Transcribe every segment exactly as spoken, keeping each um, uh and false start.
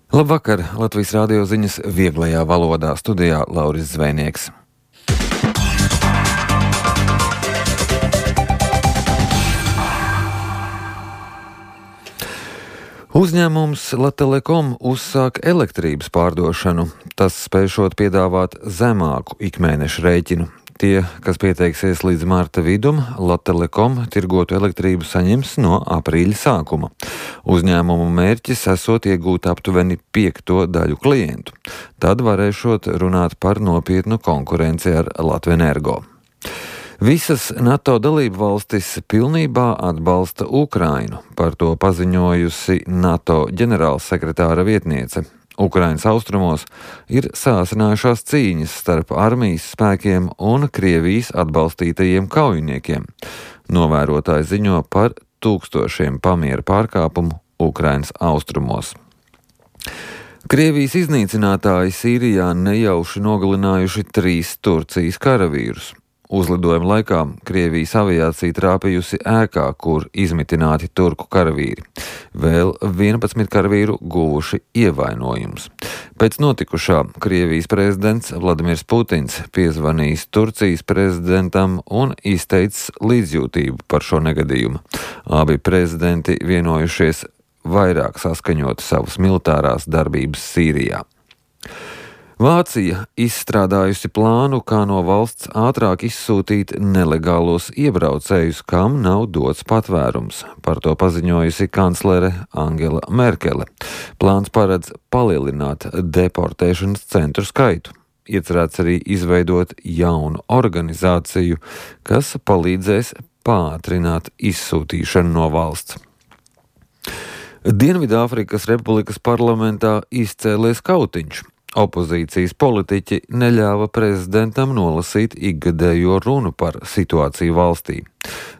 Labvakar! Latvijas radio ziņas vieglajā valodā, studijā Lauris Zvejnieks. Uzņēmums Latelekom uzsāk elektrības pārdošanu. Tas spēšot piedāvāt zemāku ikmēneša rēķinu. Tie, kas pieteiksies līdz marta vidum, Latelekom tirgotu elektrību saņems no aprīļa sākuma. Uzņēmumu mērķis esot iegūt aptuveni piekto daļu klientu. Tad varēšot runāt par nopietnu konkurenci ar Latvenergo. Visas NATO dalību valstis pilnībā atbalsta Ukrainu, par to paziņojusi NATO ģenerālsekretāra vietniece. Ukrainas austrumos ir sāsinājušās cīņas starp armijas spēkiem un Krievijas atbalstītajiem kaujiniekiem. Novērotāji ziņo par tūkstošiem pamiera pārkāpumu Ukrainas austrumos. Krievijas iznīcinātāji Sīrijā nejauši nogalinājuši trīs Turcijas karavīrus. Uzlidojuma laikā Krievijas aviācija trāpījusi ēkā, kur izmitināti turku karavīri. Vēl vienpadsmit karavīru guvuši ievainojumus. Pēc notikušā Krievijas prezidents Vladimirs Putins piezvanījis Turcijas prezidentam un izteicis līdzjūtību par šo negadījumu. Abi prezidenti vienojušies vairāk saskaņot savas militārās darbības Sīrijā. Vācija izstrādājusi plānu, kā no valsts ātrāk izsūtīt nelegālos iebraucējus, kam nav dots patvērums. Par to paziņojusi kanclere Angela Merkele. Plāns paredz palielināt deportēšanas centru skaitu. Iecerēts arī izveidot jaunu organizāciju, kas palīdzēs pātrināt izsūtīšanu no valsts. Dienvidāfrikas Republikas parlamentā izcēlies kautiņš. Opozīcijas politiķi neļāva prezidentam nolasīt ikgadējo runu par situāciju valstī.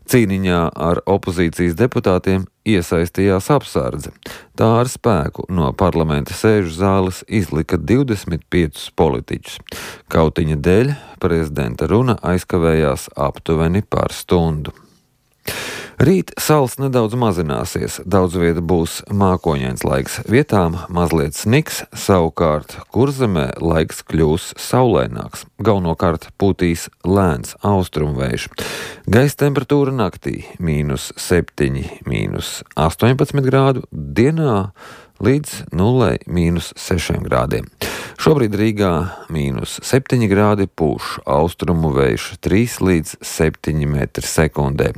Cīniņā ar opozīcijas deputātiem iesaistījās apsardze. Tā ar spēku no parlamenta sēžu zāles izlika divdesmit piecus politiķus. Kautiņa dēļ prezidenta runa aizkavējās aptuveni par stundu. Rīt sals nedaudz mazināsies, daudz vieta būs mākoņains laiks, vietām mazliet sniks, savukārt Kurzemē laiks kļūs saulaināks, galvenokārt pūtīs lēns austrumvējš. Gaisa temperatūra naktī mīnus septiņi, mīnus astoņpadsmit grādu, dienā līdz nulē mīnus sešiem grādiem. Šobrīd Rīgā mīnus septiņi grādi, pūš austrumu vējš trīs līdz septiņi metri sekundē.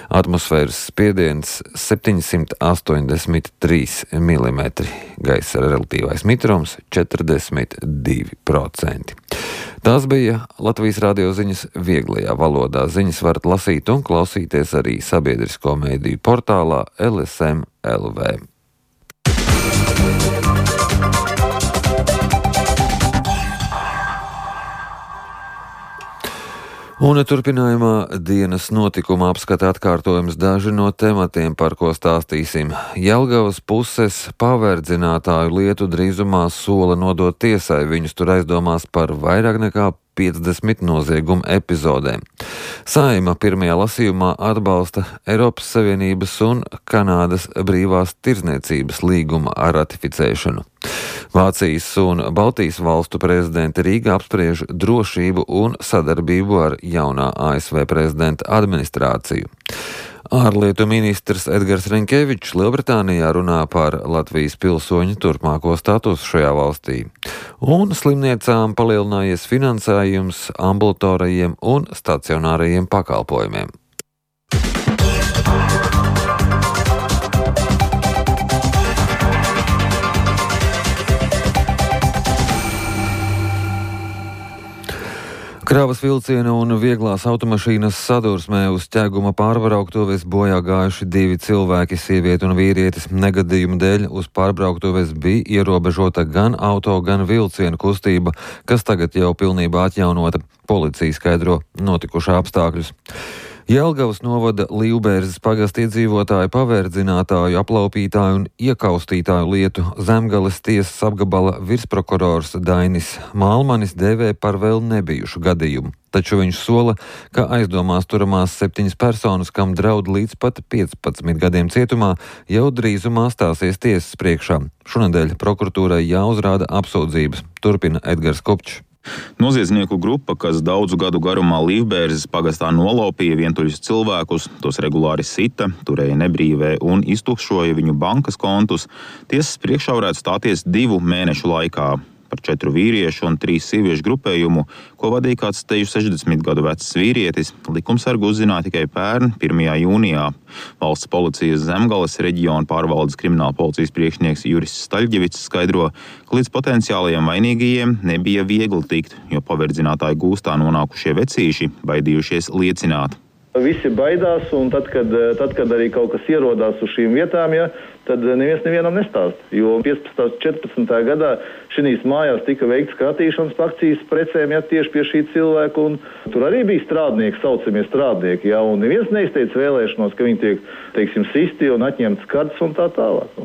Atmosfēras spiediens septiņsimt astoņdesmit trīs milimetri, gaisa relatīvais mitrums četrdesmit divi procenti. Tās bija Latvijas radio ziņas vieglajā valodā. Ziņas varat lasīt un klausīties arī sabiedrisko mediju portālā L S M L V. Un turpinājumā dienas notikuma apskata atkārtojums daži no tematiem, par ko stāstīsim. Jelgavas puses paverdzinātāju lietu drīzumā sola nodot tiesai, viņus tur aizdomās par vairāk nekā piecdesmit noziegumu epizodēm. Saeima pirmajā lasījumā atbalsta Eiropas Savienības un Kanādas brīvās tirdzniecības līguma ratificēšanu. Vācijas un Baltijas valstu prezidenti Rīgā apspriež drošību un sadarbību ar jaunā A S V prezidenta administrāciju. Ārlietu ministrs Edgars Rinkevičs Lielbritānijā runā par Latvijas pilsoņu turpmāko statusu šajā valstī. Un slimniecām palielinājies finansējums ambulatorajiem un stacionārajiem pakalpojumiem. Kravas vilciena un vieglās automašīnas sadursmē uz ķeguma pārbrauktuves bojā gājuši divi cilvēki, sieviete un vīrietis. Negadījuma dēļ uz pārbrauktuves bija ierobežota gan auto, gan vilciena kustība, kas tagad jau pilnībā atjaunota. Policija skaidro notikušā apstākļus. Jelgavas novada Līvbērzes pagasta iedzīvotāju paverdzinātāju, aplaupītāju un iekaustītāju lietu Zemgales tiesas apgabala virsprokurors Dainis Malmanis dēvē par vēl nebijušu gadījumu. Taču viņš sola, ka aizdomās turamās septiņas personas, kam draud līdz pat piecpadsmit gadiem cietumā, jau drīzumā stāsies tiesas priekšā. Šonedēļ prokuratūrai jāuzrāda apsūdzības. Turpina Edgars Kopčs. Noziedznieku grupa, kas daudzu gadu garumā Līvbērzes pagastā nolaupīja vientuļus cilvēkus, tos regulāri sita, turēja nebrīvē un iztukšoja viņu bankas kontus, tiesas priekšā varētu stāties divu mēnešu laikā. Par četru vīriešu un trīs sieviešu grupējumu, ko vadīja kāds teju sešdesmit gadu vecs vīrietis, likumsargi uzzināja tikai pērn, pirmajā jūnijā. Valsts policijas Zemgales reģiona pārvaldes krimināla policijas priekšnieks Juris Staļģevics skaidro, ka līdz potenciālajiem vainīgajiem nebija viegli tikt, jo paverdzinātāju gūstā nonākušie vecīši baidījušies liecināt. Visi baidās, un tad, kad, tad, kad arī kaut kas ierodās uz šīm vietām, ja, tad neviens nevienam nestāst. Jo piecpadsmitā un četrpadsmitā gadā šīs mājās tika veikts skatīšanas akcijas precēm, ja, tieši pie šī cilvēka, un tur arī bija strādnieki, saucamie strādnieki, ja, un neviens neizteica vēlēšanos, ka viņi tiek, teiksim, sisti un atņemts kartes un tā tālāk.